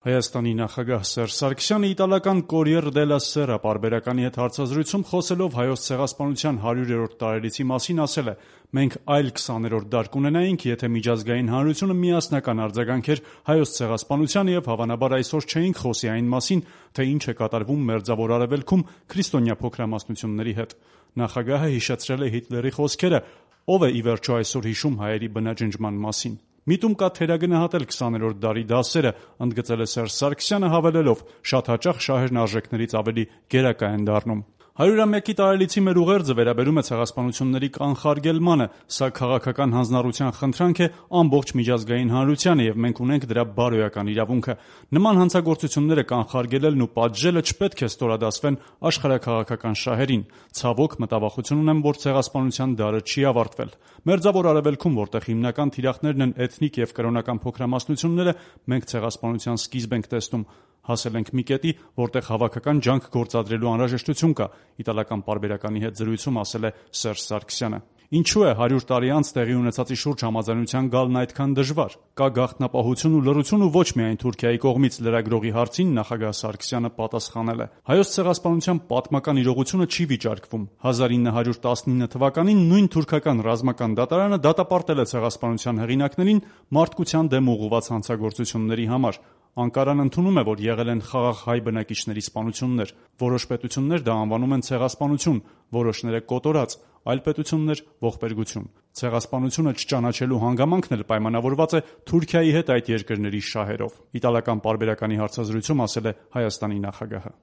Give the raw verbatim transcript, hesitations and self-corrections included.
Հայաստանի նախագահ Սերժ Սարգսյանը իտալական «Կորիեր դելլա Սերա» պարբերականի հետ հարցազրույցում խոսելով Հայոց ցեղասպանության հարյուրերորդ տարելիցի մասին ասել է. «Մենք այլ քսաներորդ դար կունենայինք, եթե միջազգային հանրությունը միասնական արձագանքեր Հայոց ցեղասպանությանը եւ հավանաբար այսօր չէինք խոսի այն մասին, թե ինչ է կատարվում Մերձավոր Արևելքում քրիստոնյա փոքրամասնությունների հետ»։ Նախագահը հիշեցրել է Հիտլերի խոսքերը. «Ով է ի վերջո այսօր հիշում հայերի բնաջնջման մասին»։ Միտում կա թերագնահատել քսաներորդ դարի դասերը, ընդգծել է Սերժ Սարգսյանը հավելելով. «Շատ հաճախ շահերն արժեքներից ավելի գերակա են դառնում»։ հարյուրամյակի տարելիցի մեր ուղերձը վերաբերում է ցեղասպանությունների կանխարգելմանը, սա քաղաքական հանձնառության խնդրանք է ամբողջ միջազգային հանրությանը եւ մենք ունենք դրա բարոյական իրավունքը։ Նման հանցագործությունները կանխարգելելն ու պատժելը չպետք է ստորադասվեն աշխարհաքաղաքական շահերին։ Ցավոք, մտավախություն ունեմ, որ ցեղասպանության դարը չի ավարտվել։ Մերձավոր Արևելքում, որտեղ հիմնական թիրախներն են էթնիկ եւ կրոնական փոքրամասնությունները, մենք ցեղասպանության սկիզբ ենք տեսնում։ Հասել ենք մի կետի, որտեղ հավաքական ջանք գործադրելու անհրաժեշտություն կա, իտալական պարբերականի հետ զրույցում ասել է Սերժ Սարգսյանը։ Ինչու է հարյուր տարի անց տեղի ունեցածի շուրջ համաձայնության գալն այդքան դժվար։ Կա գաղտնապահություն ու լռություն ու ոչ միայն Թուրքիայի կողմից լրագրողի հարցին նախագահ Սարգսյանը պատասխանել է. «Հայոց ցեղասպանության պատմական իրողությունը չի վիճարկվում։ հազար ինը հարյուր տասնինը թվականին նույն թուրքական ռազմական դատարանը դատապարտել է ցեղասպանության հեղինակներին մարդկության դեմ ուղղված հանցագործությունների համար։ Անկարան ընդունում է, որ եղել են խաղաղ հայ բնակիչների սպանություններ։ Որոշ պետություններ դա անվանում են ցեղասպանություն, որոշները՝ կոտորած, այլ պետություններ՝ ողբերգություն։ Ցեղասպանությունը չճանաչելու հանգամանքն էլ պայմանավորված է Թուրքիայի հետ այդ երկրների շահերով», իտալական պարբերականի հարցազրույցում ասել է Հայաստանի նախագահը։